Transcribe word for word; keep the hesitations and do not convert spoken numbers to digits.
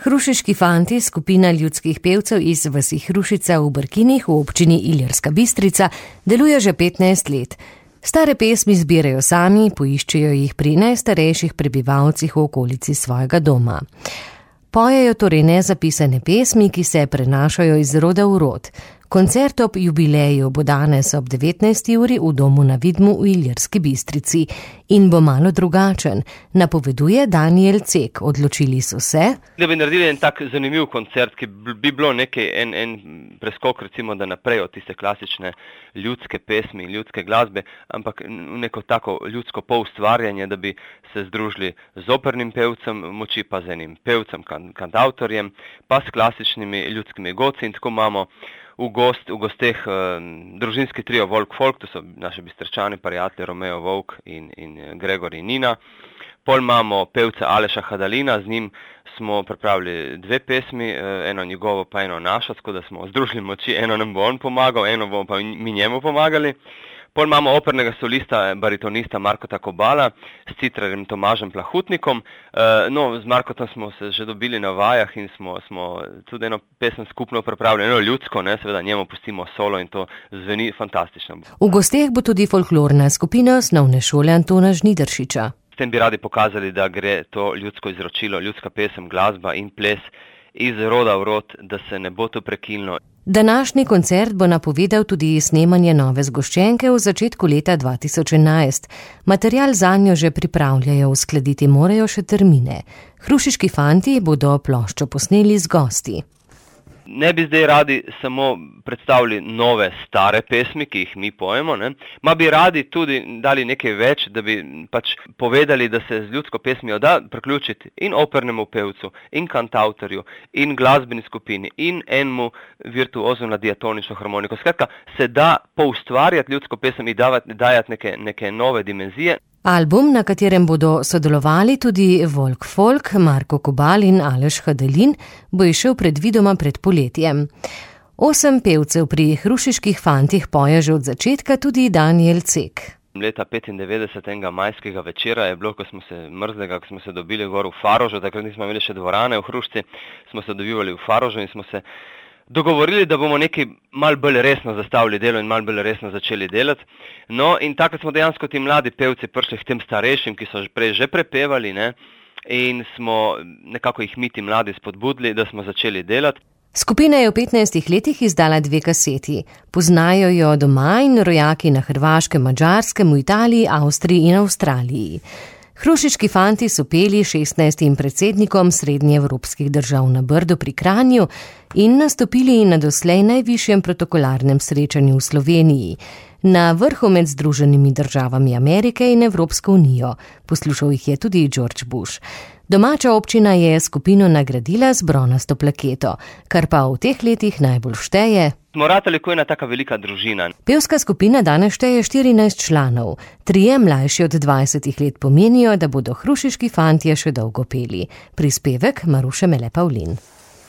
Hrušiški fanti, skupina ljudskih pevcev iz vasi Hrušica v Brkinih v občini Ilirska Bistrica, deluje že petnajst let. Stare pesmi zbirajo sami, poiščejo jih pri najstarejših prebivalcih v okolici svojega doma. Pojejo torej nezapisane pesmi, ki se prenašajo iz roda v rod. Koncert ob jubileju bo danes ob devetnajsti uri v domu na Vidmu v Ilirski Bistrici in bo malo drugačen, napoveduje Daniel Cek. Odločili so se, da bi naredili en tak zanimiv koncert, ki bi bilo nekaj, en, en preskok recimo, da naprej od tiste klasične ljudske pesmi in ljudske glasbe, ampak neko tako ljudsko poustvarjanje, da bi se združili z opernim pevcem moči, pa z enim pevcem, kantavtorjem, pa s klasičnimi ljudskimi godci in tako imamo v, gost, v gosteh uh, družinski trio Volk Folk, to so naši Bistričani, prijatelji Romeo Volk in, in Gregor in Nina. Pol imamo pevca Aleša Hadalina, z njim smo pripravili dve pesmi, eno njegovo pa eno našo, tako da smo združili moči, eno nam bo on pomagal, eno bomo pa mi njemu pomagali. Pol imamo opernega solista, baritonista Markota Kobala s citrarjem Tomažem Plahutnikom. No, z Markotom smo se že dobili na vajah in smo, smo tudi eno pesem skupno pripravili, eno ljudsko, ne, seveda njemu pustimo solo in to zveni fantastično. V gosteh bo tudi folklorna skupina osnovne šole Antona Žnidaršiča. S tem bi radi pokazali, da gre to ljudsko izročilo, ljudska pesem, glasba in ples iz roda v rod, da se ne bo to prekinilo. Današnji koncert bo napovedal tudi snemanje nove zgoščenke v začetku leta dva tisoč enajst. Material zanjo že pripravljajo, uskladiti morajo še termine. Hrušiški fanti bodo ploščo posneli z gosti. Ne bi zdaj radi samo predstavili nove stare pesmi, ki jih mi pojemo, ne? Ma bi radi tudi dali nekaj več, da bi pač povedali, da se z ljudsko pesmijo da priključiti in opernemu pevcu, in kantautorju, in glasbeni skupini, in enemu virtuozu na diatonično harmoniko. Skratka, se da poustvarjati ljudsko pesem in dajati neke, neke nove dimenzije. Album, na katerem bodo sodelovali tudi Volk Folk, Marko Kobal in Aleš Hadalin, bo išel predvidoma pred poletjem. Osem pevcev pri Hrušiških fantih poje že od začetka, tudi Daniel Cek. Leta petindevetdeset, enega majskega večera je bilo, ko smo se mrzlega, ko smo se dobili gor v Farožu, takrat nismo imeli še dvorane v Hrušci, smo se dobivali v Farožu in smo se dogovorili, da bomo nekaj malo bolj resno zastavili delo in malo bolj resno začeli delati. No, in takrat smo dejansko ti mladi pevci prišli k tem starejšim, ki so prej že prepevali, ne, in smo nekako jih mi ti mladi spodbudili, da smo začeli delati. Skupina je v petnajstih letih izdala dve kaseti. Poznajo jo doma in rojaki na Hrvaškem, Madžarskem, v Italiji, Avstriji in Avstraliji. Hrušiški fanti so peli šestnajstim predsednikom srednjeevropskih držav na Brdu pri Kranju in nastopili na doslej najvišjem protokolarnem srečanju v Sloveniji, na vrhu med Združenimi državami Amerike in Evropsko unijo. Poslušal jih je tudi George Bush. Domača občina je skupino nagradila z bronasto plaketo, kar pa v teh letih najbolj šteje. Smo ratali kot ena taka velika družina. Pevska skupina danes šteje štirinajst članov. Trije mlajši od dvajsetih let pomenijo, da bodo Hrušiški fantje še dolgo peli. Prispevek Maruše Mele Pavlin.